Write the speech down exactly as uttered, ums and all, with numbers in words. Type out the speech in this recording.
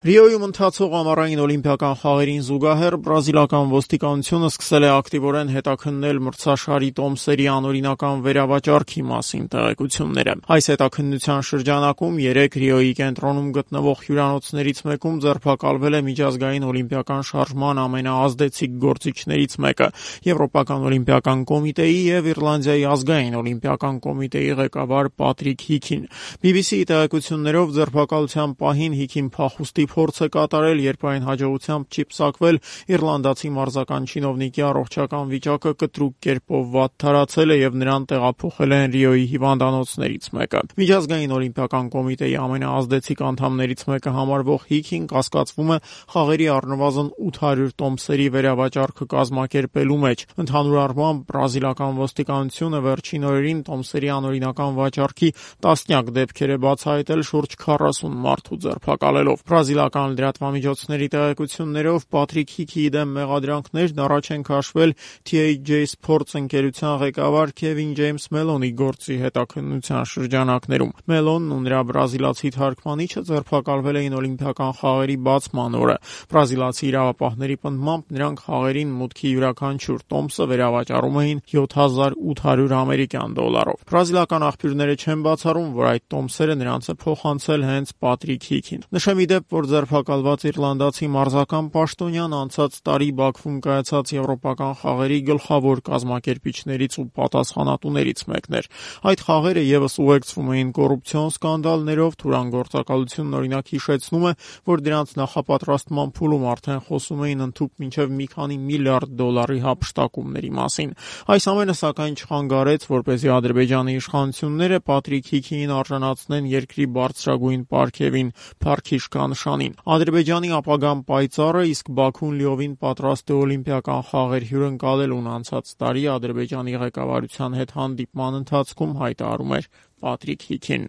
Ռիոյում ընթացող ամառային օլիմպիական խաղերին զուգահեռ բրազիլական ոստիկանությունը սկսել է ակտիվորեն հետաքննել մրցաշարի տոմսերի անօրինական վերավաճառքի մասին տեղեկությունները։ Այս հետաքննության շրջանակում երեք Ռիոյի կենտրոնում գտնվող հյուրանոցներից մեկում ձերբակալվել է միջազգային օլիմպիական շարժման ամենաազդեցիկ գործիչներից մեկը՝ Եվրոպական օլիմպիական կոմիտեի և Իռլանդիայի ազգային օլիմպիական կոմիտեի ղեկավար Պատրիկ Հիքին։ բի բի սի-ի տեղեկություններով ձերբակալության պահին Հիքին փախուստի փորձ է կատարել, երբ այն հաջողությամբ չի պսակվել, իռլանդացի մարզական չինովնիկի առողջական վիճակը կտրուկ կերպով վատթարացել է և նրան տեղափոխել են Ռիոյի հիվանդանոցներից մեկը։ Միջազգային օլիմպիական կոմիտեի ամենաազդեցիկ անդամներից մեկը համարվող Հիքին կասկածվում է խաղերի առնվազն ութ հարյուր տոմսերի վերավաճառքը կազմակերպելու մեջ։ Ընդհանուր առմամբ բրազիլական ոստիկանությունը վերջին օրերին տոմսերի անօրինական վաճառքի տասնյակ դեպքեր է բացահայտել շուրջ քառասուն մարդու ձերբակալելով։ Բրազիլական լրատվամիջոցների տեղեկություններով Պատրիկ Հիքիի դեմ մեղադրանքներն առաջ են քաշվել Թի Էյչ Ջեյ Sports ընկերության ղեկավար Քևին Ջեյմս Մելոնի գործի հետաքննության շրջանակներում։ Մելոնն ու նրա բրազիլացի թարգմանիչը ձերբակալվել էին օլիմպիական խաղերի բացման օրը։ Բրազիլացի իրավապահների պնդմամբ նրանք խաղերին մուտքի յուրաքանչյուր տոմսը վերավաճառում էին յոթ հազար ութ հարյուր ամերիկյան դոլարով։ Բրազիլական աղբյուրները չեն բացառում, որ այդ տոմսերը նրանց է փոխանցել հենց Պատրիկ Հիքին։ Նշեմ ի դեպ, որ ձերբակալված իռլանդացի մարզական պաշտոնյան անցած տարի Բաքվում կայացած եվրոպական խաղերի գլխավոր կազմակերպիչներից ու պատասխանատուներից մեկն էր։ Այդ խաղերը ևս ուղեկցվում էին կոռուպցիոն սկանդալներով, Թուրան գործակալությունն օրինակ հիշեցնում է, որ դրանց նախապատրաստման փուլում արդեն խոսում էին ընդհուպ մինչև մի քանի միլիարդ դոլարի հափշտակումների մասին։ Այս ամենը սակայն չխանգարեց, որպեսզի Ադրբեջանի իշխանությունները Պատրիկ Հիքիին արժանացնեն երկրի բարձրագույն պարգևին՝ Փարքիշքա-նշանին։ Ադրբեջանի ապագան պայծառ է, իսկ Բաքուն լիովին պատրաստ է օլիմպիական խաղեր հյուրընկալելուն, անցած տարի Ադրբեջանի ղեկավարության հետ հանդիպման ընթացքում հայտարարում էր Պատրիկ Հիքին։